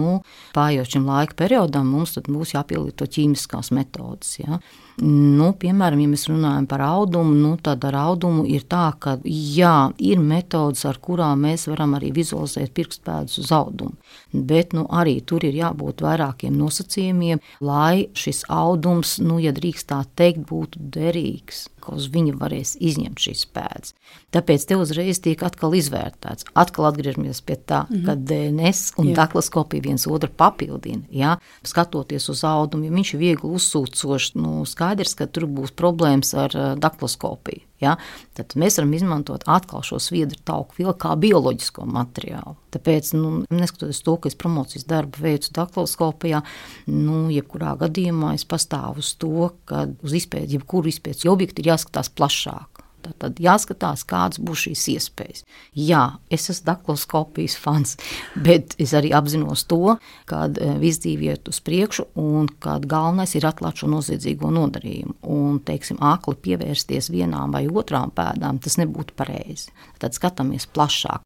pārējot šim laika periodam, mums tad būs jāpielieto ķīmiskās metodas. Jā. Piemēram, ja mēs runājam par audumu, tad ar audumu ir tā, ka ir metodas, ar kurām mēs varam arī vizualizēt pirkstpēdas uz audumu. Bet arī tur ir jābūt vairākiem nosacījumiem, lai šis audums, ja drīkst tā teikt, būtu derīgs, ka uz viņa varēs izņemt šīs pēdas. Tāpēc te uzreiz tiek atkal izvērtēts. Atkal atgriežamies pie tā, ka DNS un dakloskopija viens otru papildina. Jā? Skatoties uz audumu, ja viņš ir viegli uzsūcošs, skaidrs, ka tur būs problēmas ar dakloskopiju. Ja? Tad mēs varam izmantot atkal šo sviedru tauku vielu kā bioloģisko materiālu. Tāpēc, neskatoties to, ka es promocijas darbu veicu dakloskopijā, jebkurā gadījumā es pastāvu uz to, ka uz izpēti, jebkuru izpētes objektu ir jāskatās plašāk. Tad jāskatās, kādas būs šīs iespējas. Jā, es esmu dakloskopijas fans, bet es arī apzinos to, kad viss dzīve iet uz priekšu un kad galvenais ir atklāt šo noziedzīgo nodarījumu. Un, akli pievērsties vienām vai otrām pēdām, tas nebūtu pareizi. Tad skatāmies plašāk.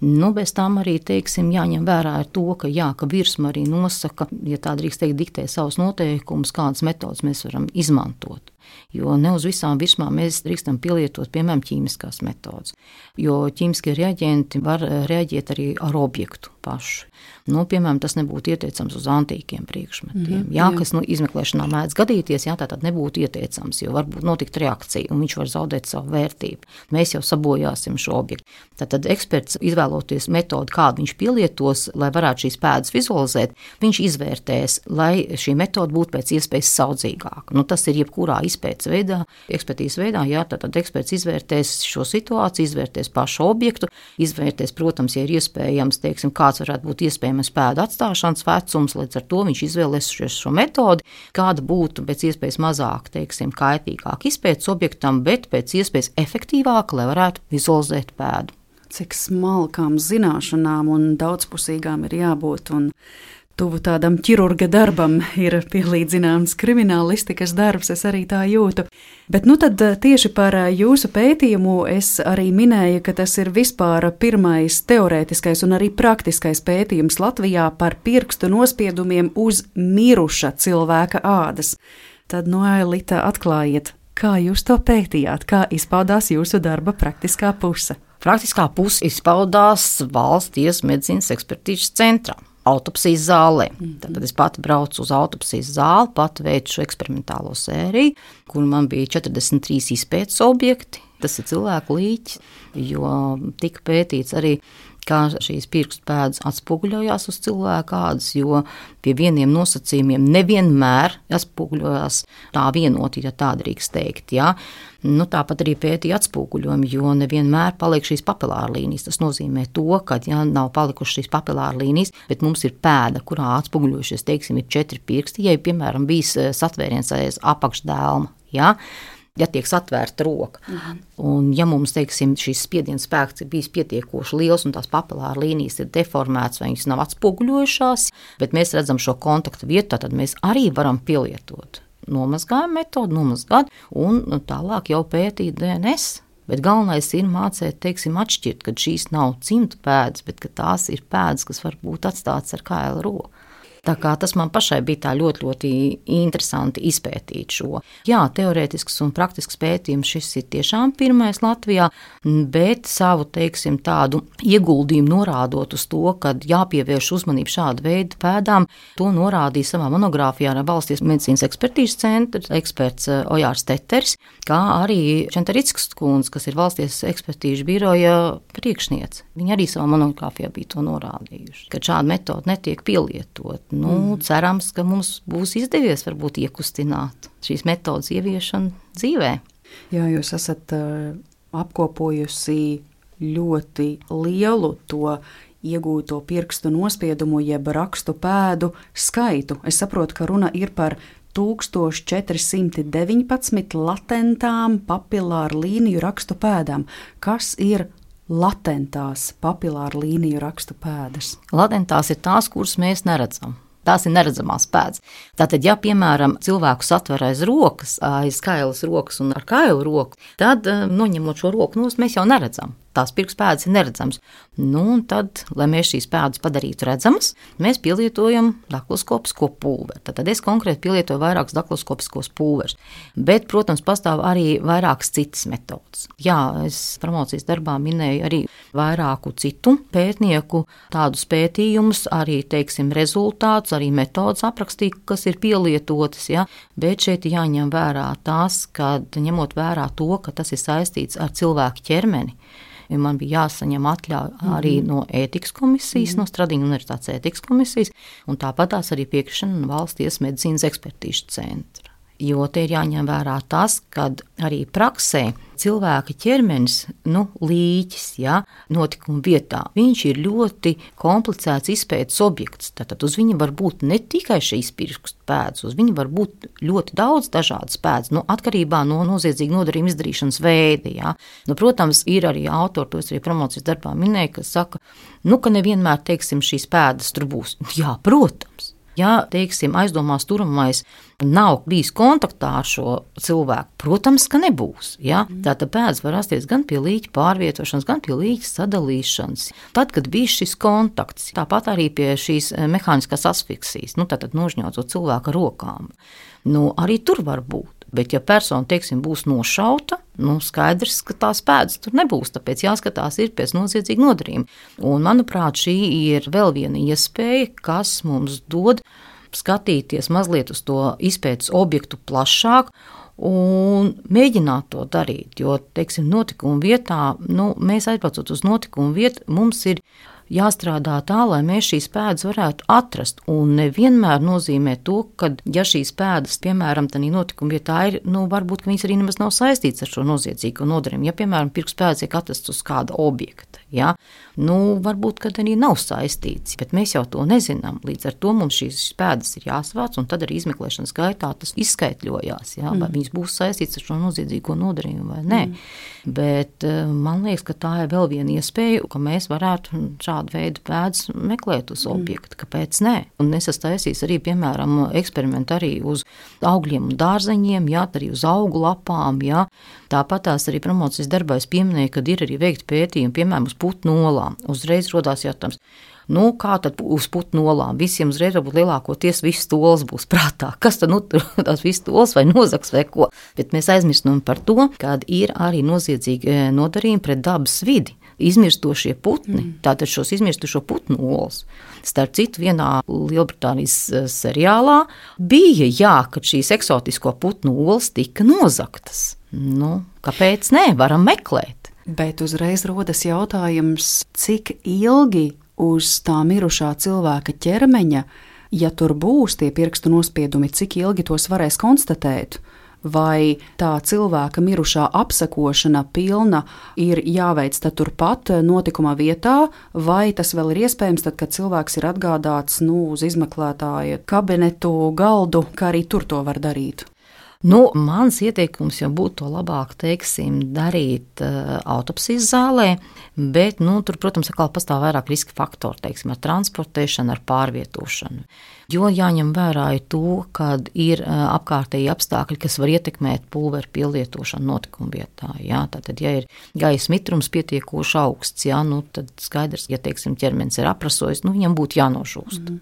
Bez tām arī, jāņem vērā ir to, ka virsma arī nosaka, ja tā drīkst teikt, diktē savus noteikumus, kādas metodas mēs varam izmantot. Jo ne uz visām virsmām mēs drīkstam pielietot, piemēram, ķīmiskās metodas. Jo ķīmiskie reaģenti var reaģēt arī ar objektu pašu. Piemēram, tas nebūtu ieteicams uz antīkiem priekšmetiem. Kas izmeklēšanā mēdz gadīties, tad nebūtu ieteicams, jo varbūt notikt reakcija un viņš var zaudēt savu vērtību. Mēs jau sabojāsim šo objektu. Tad eksperts, izvēloties metodu, kādu viņš pielietos, lai varētu šīs pēdas vizualizēt, viņš izvērtēs, lai šī metoda būtu pēc iespējas saudzīgāka. Tas ir jebkurā izpētes veidā, ekspertīzes veidā, tad eksperts izvērtēs šo situāciju, izvērtēs pašu objektu, izvērtēs, protams, ja ir iespējams, kāds varētu būt iespējams pēdu atstāšanas vecums, līdz ar to viņš izvēlēsies šo metodi, kāda būtu pēc iespējas mazāk, kaitīgāk izpētes objektam, bet pēc iespējas efektīvāk, lai varētu vizualizēt pēdu. Cik smalkām zināšanām un daudzpusīgām ir jābūt, un tuvu tādam ķirurga darbam ir pielīdzināms kriminālistikas darbs, es arī tā jūtu. Bet tad tieši par jūsu pētījumu es arī minēju, ka tas ir vispār pirmais teorētiskais un arī praktiskais pētījums Latvijā par pirkstu nospiedumiem uz miruša cilvēka ādas. Tad, Ailita, atklājiet, kā jūs to pētījāt, kā izpaudās jūsu darba praktiskā puse? Praktiskā puse izpaudās Valsts tiesas medicīnas ekspertīzes centrā. Autopsijas zālē. Tad es pati braucu uz autopsijas zāli, pati veicu šo eksperimentālo sēriju, kur man bija 43 izpētes objekti. Tas ir cilvēku līķis, jo tika pētīts arī, kā šīs pirkstu pēdas atspoguļojās uz cilvēku ādas, jo pie vieniem nosacījumiem nevienmēr atspoguļojās tā vienoti, ja tā drīkst teikt. Ja? Tāpat arī pētīja atspoguļojumi, jo nevienmēr paliek šīs papilāra līnijas. Tas nozīmē to, ka nav palikušas šīs papilāra līnijas, bet mums ir pēda, kurā atspoguļojušies, ir 4 pirksti, ja piemēram bijis satvēriens aiz apakšdēlma. Ja? Ja tiek satvērta roka. Un ja mums, šīs spiediens spēks ir bijis pietiekoši liels un tās papilāra līnijas ir deformētas vai viņas nav atspoguļojušās, bet mēs redzam šo kontaktu vietu, tad mēs arī varam pielietot nomazgājumu metodu, un tālāk jau pētīt DNS. Bet galvenais ir mācīt, atšķirt, ka šīs nav cimdu pēdas, bet ka tās ir pēdas, kas var būt atstātas ar kaila roku. Tā kā tas man pašai bija tā ļoti, ļoti interesanti izpētīt šo. Jā, teorētisks un praktisks pētījums šis ir tiešām pirmais Latvijā, bet savu, tādu ieguldījumu norādot uz to, ka jāpievērš uzmanību šāda veida pēdām, to norādīja savā monogrāfijā ar Valsts medicīnas ekspertīzes centra eksperts Ojārs Teteris, kā arī Čentarickas kundze, kas ir Valsts ekspertīžu biroja priekšniece. Viņi arī savā monogrāfijā bija to norādījuši, ka šāda metoda netiek pielietot. Cerams, ka mums būs izdevies varbūt iekustināt šīs metodas ieviešanu dzīvē. Jā, jūs esat apkopojusi ļoti lielu to iegūto pirkstu nospiedumu jeb rakstu pēdu skaitu. Es saprotu, ka runa ir par 1419 latentām papilāru līniju rakstu pēdām. Kas ir latentās papilāru līniju rakstu pēdas? Latentās ir tās, kuras mēs neredzam. Tās ir neredzamās pēdas. Tātad, ja, piemēram, cilvēku satver aiz rokas, aiz kailas rokas un ar kailu roku, tad, noņemot šo roku nost, mēs jau neredzam. Tās pirkstpēdas ir neredzams. Un tad, lai mēs šīs pēdas padarītu redzamas, mēs pielietojam dakloskopisko pulveri. Tad es konkrēti pielietoju vairākus dakloskopiskos pulverus. Bet, protams, pastāv arī vairākas citas metodas. Jā, es promocijas darbā minēju arī vairāku citu pētnieku tādus pētījumus, arī, teiksim, rezultātus, arī metodas aprakstīju, kas ir pielietotas. Ja? Bet šeit jāņem vērā tās, kad ņemot vērā to, ka tas ir saistīts ar cilvēku ķermeni. Man bija jāsaņem atļauja arī no ētikas komisijas, no Stradiņu universitātes ētikas komisijas, un tāpat tās arī piekrišana no Valsts tiesas medicīnas ekspertīžu centra. Jo te ir jāņem vērā tas, kad arī praksē cilvēka ķermenis, līķis, ja, notikuma vietā, viņš ir ļoti komplicēts izpētes objekts. Tātad uz viņa var būt ne tikai šīs pirkstu pēdas, uz viņa var būt ļoti daudz dažādas pēdas, atkarībā no noziedzīga nodarījuma izdarīšanas veida. Ja. Protams, ir arī autori, to es arī promocijas darbā minēju, kas saka, ka nevienmēr, teiksim, šīs pēdas tur būs. Jā, protams. Ja, teiksim, aizdomās turamais nav bijis kontaktā ar šo cilvēku, protams, ka nebūs. Ja? Tātad pēdas var rasties gan pie līķa pārvietošanas, gan pie līķa sadalīšanas. Tad, kad bija šis kontakts, tāpat arī pie šīs mehāniskās asfiksijas, tātad nožņaucot cilvēku rokām, arī tur var būt. Bet, ja persona, teiksim, būs nošauta, skaidrs, ka tās pēdas tur nebūs, tāpēc jāskatās ir pēc noziedzīga nodarījuma. Un, manuprāt, šī ir vēl viena iespēja, kas mums dod skatīties mazliet uz to izpētes objektu plašāk un mēģināt to darīt. Jo, teiksim, notikuma vietā, mēs aizbraucot uz notikumu vietu, mums ir jāstrādā tā, lai mēs šīs pēdas varētu atrast. Un nevienmēr nozīmē to, ka, ja šīs pēdas, piemēram, tādā notikuma vietā ir, varbūt viņas arī nemaz nav saistītas ar šo noziedzīgo nodarījumu. Ja, piemēram, pirkstpēdas tiek atrasts uz kāda objekta, ja, varbūt, kad arī nav saistīts, bet mēs jau to nezinām. Līdz ar to mums šīs pēdas ir jāsvāc, un tad arī izmeklēšanas gaitā tas izskaitļojās, ja, vai viņas būs saistītas ar šo noziedzīgo nodarījumu vai nē. Bet man liekas, ka tā ir vēl viena iespēja, ka mēs varētu šādu veidu pēdas meklēt uz objektu. Kāpēc nē? Un es esmu taisījis arī, piemēram, eksperimentu arī uz augļiem un dārzeņiem, jā, arī uz augu lapām, jā. Tāpat tās arī promocijas darbā es pieminēju, kad ir arī veikti pētījumi, piemēram, uz putnu olām. Uzreiz rodās jautājums, kā tad uz putnu olām? Visiem uzreiz varbūt lielākoties viss tols būs prātā. Kas tad tās viss tols vai nozaks vai ko? Bet mēs aizmirstam par to, kad ir arī noziedzīgi nodarījumi pret dabas vidi. Izmirstošie putni, tātad šos izmirstošo putnu olas. Starp citu, vienā Lielbritānijas seriālā bija, kad šīs eksotisko putnu olas tika nozaktas. Kāpēc nē? Varam meklēt. Bet uzreiz rodas jautājums, cik ilgi uz tā mirušā cilvēka ķermeņa, ja tur būs tie pirkstu nospiedumi, cik ilgi tos varēs konstatēt? Vai tā cilvēka mirušā apsekošana pilna ir jāveic turpat notikuma vietā, vai tas vēl ir iespējams tad, kad cilvēks ir atgādāts uz izmeklētāja kabinetu galdu, kā arī tur to var darīt? Mans ieteikums jau būtu to labāk, teiksim, darīt autopsijas zālē, bet, tur, protams, atkal pastāv vairāk riska faktori, teiksim, ar transportēšanu, ar pārvietošanu. Jo jāņem vērā to, kad ir apkārtēji apstākļi, kas var ietekmēt pulveru pielietošanu notikuma vietā. Jā. Tātad, ja ir gaisa mitrums pietiekoši augsts, jā, tad skaidrs, ja, teiksim, ķermenis ir aprasojis, viņam būtu jānožūst.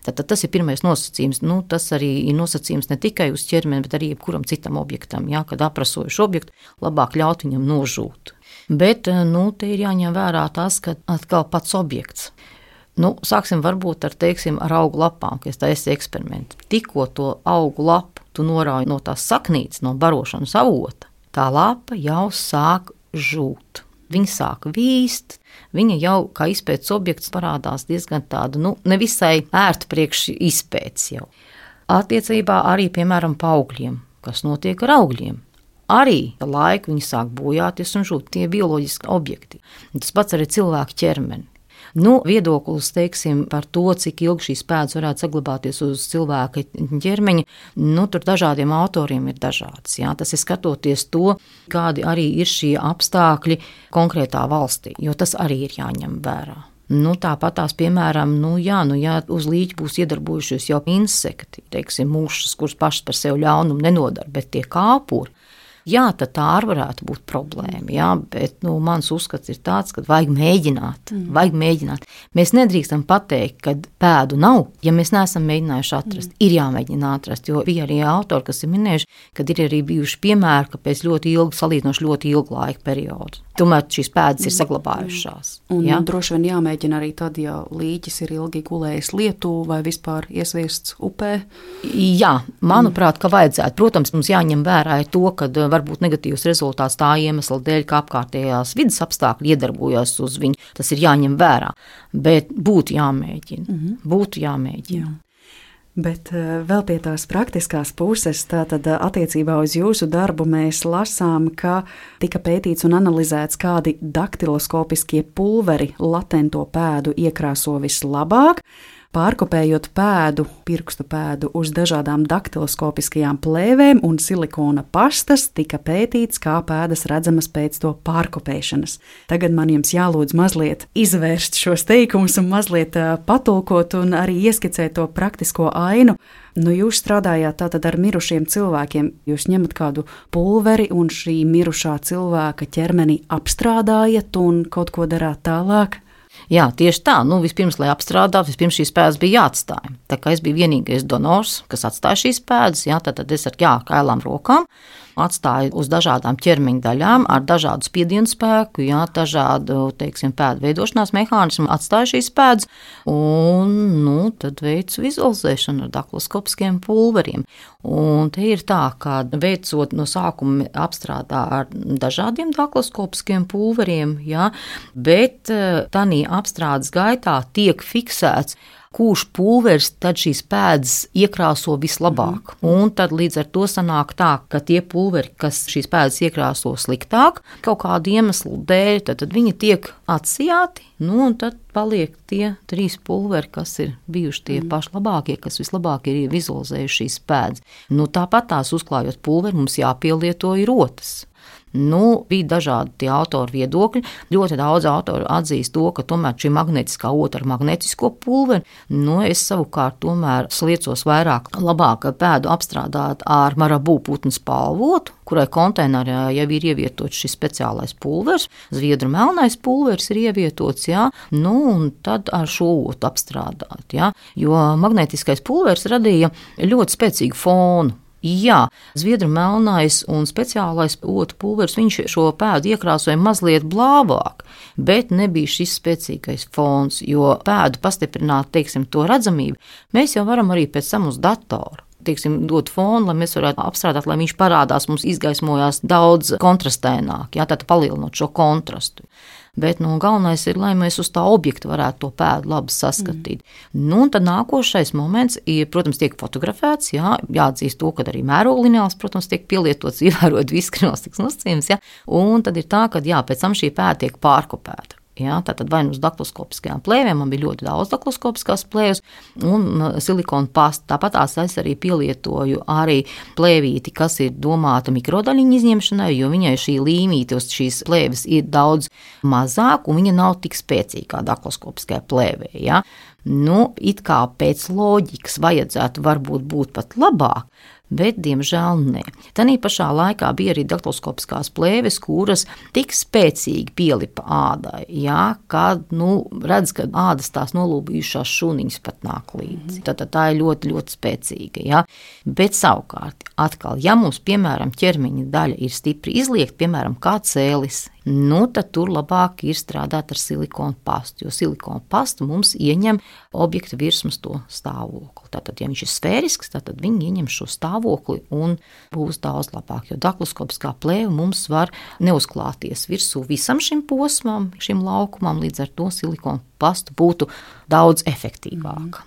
Tātad tas ir pirmais nosacījums. Tas arī ir nosacījums ne tikai uz ķermeni, bet arī jebkuram citam objektam. Jā, kad aprasojuši objektu, labāk ļaut viņam nožūt. Bet, te ir jāņem vērā tas, ka atkal pats objekts. Sāksim varbūt ar augu lapām, ka es taisīju eksperimentu. Tikko to augu lapu tu norauji no tās saknītes, no barošanas avota, tā lapa jau sāk žūt. Viņa sāk vīst, viņa jau kā izpētes objekts parādās diezgan tādu, nevisai ērtu priekš izpētes jau. Attiecībā arī, piemēram, pa augļiem, kas notiek ar augļiem. arī laiku viņi sāk bojāties un žūt tie bioloģiski objekti. Tas pats arī cilvēku ķermeni. Viedoklis, teiksim, par to, cik ilgi šīs pēdas varētu saglabāties uz cilvēka ķermeņa, tur dažādiem autoriem ir dažāds. Jā. Tas ir skatoties to, kādi arī ir šie apstākļi konkrētā valstī, jo tas arī ir jāņem vērā. Tāpat tās, piemēram, ja uz līķa būs iedarbojušies jau insekti, teiksim, mušas, kuras pašas par sevi ļaunumu nenodara, bet tie kāpuri, jā, tad tā arī varētu būt problēma, jā, bet mans uzskats ir tāds, ka vajag mēģināt. Mēs nedrīkstam pateikt, ka pēdu nav, ja mēs neesam mēģinājuši atrast. Ir jāmēģina atrast, jo bija arī autori, kas ir minējuši, kad ir arī bijuši piemēri, ka pēc ļoti ilgu laika periodu. Tomēr šīs pēdas ir saglabājušās. Un droši vien jāmēģina arī tad, ja līķis ir ilgi gulējis lietū vai vispār iesviests upē. Jā, manuprāt, ka vajadzētu. Protams, mums jāņem vērā to, ka varbūt negatīvs rezultāts tā iemesla dēļ, ka apkārtējās vidas apstākļi iedarbojas uz viņu. Tas ir jāņem vērā, bet būtu jāmēģina. Jā. Bet vēl pie tās praktiskās puses, tātad attiecībā uz jūsu darbu mēs lasām, ka tika pētīts un analizēts, kādi daktiloskopiskie pulveri latento pēdu iekrāso vislabāk. Pārkopējot pirkstu pēdu uz dažādām daktiloskopiskajām plēvēm un silikona pastas, tika pētīts, kā pēdas redzamas pēc to pārkopēšanas. Tagad man jums jālūdz mazliet izvērst šos teikumus un mazliet patulkot un arī ieskicēt to praktisko ainu. Jūs strādājāt tātad ar mirušiem cilvēkiem. Jūs ņemat kādu pulveri un šī mirušā cilvēka ķermeni apstrādājat un kaut ko darāt tālāk? Jā, tieši tā. Vispirms, lai apstrādātu, vispirms šīs pēdas bija jāatstāj. Tā kā es biju vienīgais donors, kas atstāja šīs pēdas, tad es ar kailām rokām atstāju uz dažādām ķermeņa daļām ar dažādu spiedienu spēku, dažādu, pēdu veidošanās mehānismu, atstāju šīs pēdas un, tad veicu vizualizēšanu ar daktiloskopiskiem pulveriem. Un te ir tā, ka veicot no sākuma apstrādā ar dažādiem daktiloskopiskiem pulveriem, bet tanī apstrādes gaitā tiek fiksēts, kurš pulveris tad šīs pēdas iekrāso vislabāk. Un tad līdz ar to sanāk tā, ka tie pulveri, kas šīs pēdas iekrāso sliktāk, kaut kādu iemeslu dēļ, tad viņi tiek atsijāti, un tad paliek tie 3 pulveri, kas ir bijuši tie paši labākie, kas vislabāk ir vizualizējuši šīs pēdas. Tāpat tās uzklājot pulveri, mums jāpielieto ir rotas. Bija dažādi tie autori viedokļi. Ļoti daudz autori atzīst to, ka tomēr šī magnetiskā ota ar magnetisko pulveri, es savukārt tomēr sliecos vairāk labāk pēdu apstrādāt ar marabū putnu spalvotu, kurai konteinerā jau ir ievietots šis speciālais pulvers, zviedru melnais pulvers ir ievietots, un tad ar šo otu apstrādāt, jo magnetiskais pulvers radīja ļoti spēcīgu fonu. Jā, zviedru melnais un speciālais otu pulveris, viņš šo pēdu iekrāsoja mazliet blāvāk, bet nebija šis spēcīgais fons, jo pēdu pastiprināt, to redzamību, mēs jau varam arī pēc tam uz datoru. Dot fonu, lai mēs varētu apstrādāt, lai viņš parādās, mums izgaismojās daudz kontrastēnāk, tātad palielinot šo kontrastu. Bet galvenais ir, lai mēs uz tā objekta varētu to pēdu labi saskatīt. Un tad nākošais moments, protams, tiek fotografēts, jāatzīst to, ka arī mēroglineāls, protams, tiek pielietots, ievērot visu kriminalistikas nosacījumus, un tad ir tā, ka pēc tam šī pēda tiek pārkopēta. Tātad vai uz daktiloskopiskajām plēvēm, man bija ļoti daudz daktiloskopiskās plēves un silikona pasta. Tāpat es arī pielietoju arī plēvīti, kas ir domāta mikrodaļiņu izņemšanai, jo viņai šī līmīte uz šīs plēves ir daudz mazāk un viņa nav tik spēcīga kā daktiloskopiskajā plēvē. It kā pēc loģikas vajadzētu varbūt būt pat labāk, bet, diemžēl, ne. Tanī pašā laikā bija arī daktiloskopiskās plēves, kuras tik spēcīgi pielipa ādai, kad, redz, ka ādas tās nolūbījušās šūniņas pat nāk līdzi. Tad tā ir ļoti, ļoti spēcīga, Bet savukārt, atkal, ja mums, piemēram, ķermeņa daļa ir stipri izliekta, piemēram, kā cēlis, tad tur labāk ir strādāt ar silikonu pastu, jo silikonu pastu mums ieņem objekta virsmas to stāvokli. Tātad, ja viņš ir sfērisks, tad viņi ieņem šo stāvokli un būs daudz labāk, jo daktiloskopiskā plēve mums var neuzklāties virsū visam šim posmam, šim laukumam, līdz ar to silikonu pastu būtu daudz efektīvāk.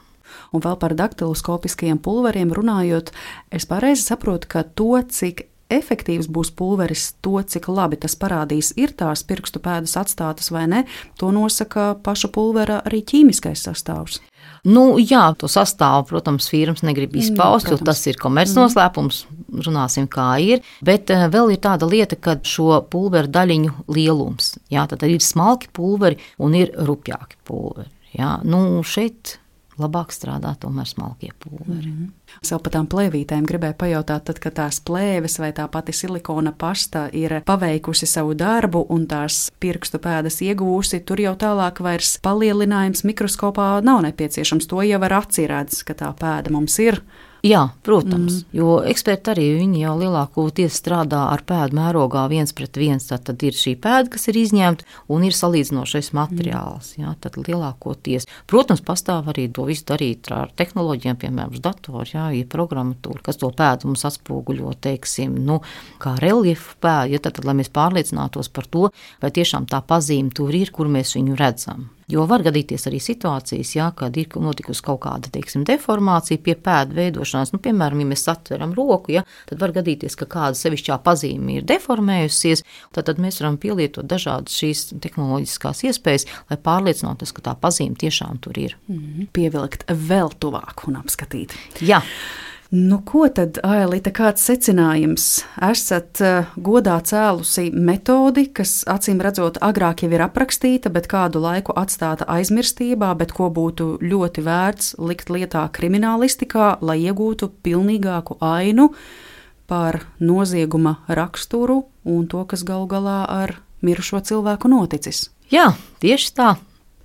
Un vēl par daktiloskopiskajiem pulveriem runājot, es pareizi saprotu, ka to, cik efektīvs būs pulveris, to, cik labi tas parādīs, ir tās pirkstu pēdas atstātas vai ne, to nosaka paša pulvera arī ķīmiskais sastāvs. Jā, to sastāvu, protams, firmas negrib izpaust, jo tas ir komercnoslēpums, runāsim kā ir, bet vēl ir tāda lieta, ka šo pulveru daļiņu lielums, jā, tad ir smalki pulveri un ir rupjāki pulveri, jā, šeit labāk strādā tomēr smalkie pulveri. Vēl par tām plēvītēm gribēju pajautāt, tad, kad tās plēves vai tā pati silikona pasta ir paveikusi savu darbu un tās pirkstu pēdas iegūsi, tur jau tālāk vairs palielinājums mikroskopā nav nepieciešams. To jau ar aci redz, ka tā pēda mums ir. Jā, protams, jo eksperti arī viņi jau lielākoties strādā ar pēdu mērogā 1:1, tad ir šī pēda, kas ir izņemta un ir salīdzinošais materiāls, jā, tad lielākoties. Protams, pastāv arī to visu darīt ar tehnoloģijām, piemēram, uz datoru, jā, ir programmatūra, kas to pēdu mums atspoguļo, teiksim, kā reliefu pēdu, ja tad, lai mēs pārliecinātos par to, vai tiešām tā pazīme tur ir, kur mēs viņu redzam. Jo var gadīties arī situācijas, jā, kad ir notikusi kaut kāda, teiksim, deformācija pie pēdu veidošanās. Piemēram, ja mēs atveram roku, jā, tad var gadīties, ka kāda sevišķā pazīme ir deformējusies, tad mēs varam pielietot dažādas šīs tehnoloģiskās iespējas, lai pārliecinātos, ka tā pazīme tiešām tur ir. Pievilkt vēl tuvāk un apskatīt. Jā. Ko tad, Ailita, kāds secinājums? Esat godā cēlusi metodi, kas acīm redzot agrāk jau ir aprakstīta, bet kādu laiku atstāta aizmirstībā, bet ko būtu ļoti vērts likt lietā kriminālistikā, lai iegūtu pilnīgāku ainu par nozieguma raksturu un to, kas galu galā ar mirušo cilvēku noticis. Jā, tieši tā.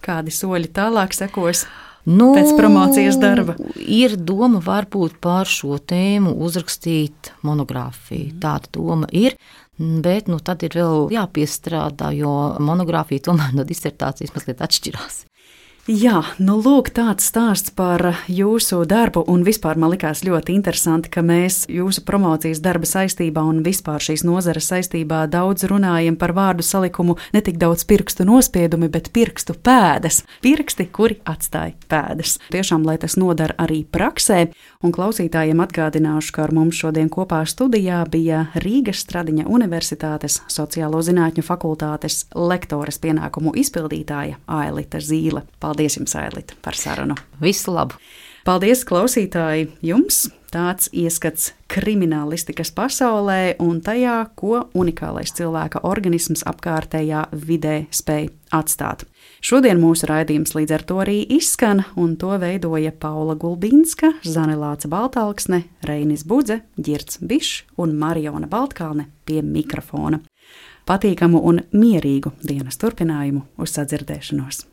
Kādi soļi tālāk sekos? Pēc promocijas darba. Ir doma varbūt par šo tēmu uzrakstīt monogrāfiju. Tāda doma ir, bet tad ir vēl jāpiestrādā, jo monogrāfija tomēr no disertācijas mazliet atšķirās. Jā, lūk, tāds stāsts par jūsu darbu, un vispār man likās ļoti interesanti, ka mēs jūsu promocijas darba saistībā un vispār šīs nozares saistībā daudz runājam par vārdu salikumu ne tik daudz pirkstu nospiedumi, bet pirkstu pēdas. Pirksti, kuri atstāja pēdas. Tiešām, lai tas nodara arī praksē, un klausītājiem atgādināšu, ka ar mums šodien kopā studijā bija Rīgas Stradiņa Universitātes sociālo zinātņu fakultātes lektoras pienākumu izpildītāja Ailita Zīle. Paldies jums, Ailita, par sarunu. Visu labu! Paldies, klausītāji, jums! Tāds ieskats kriminālistikas pasaulē un tajā, ko unikālais cilvēka organisms apkārtējā vidē spēj atstāt. Šodien mūsu raidījums līdz ar to arī izskan, un to veidoja Paula Gulbinska, Zane Lāce Baltalksne, Reinis Budze, Ģirds Bišs un Mariona Baltkalne pie mikrofona. Patīkamu un mierīgu dienas turpinājumu, uz sadzirdēšanos!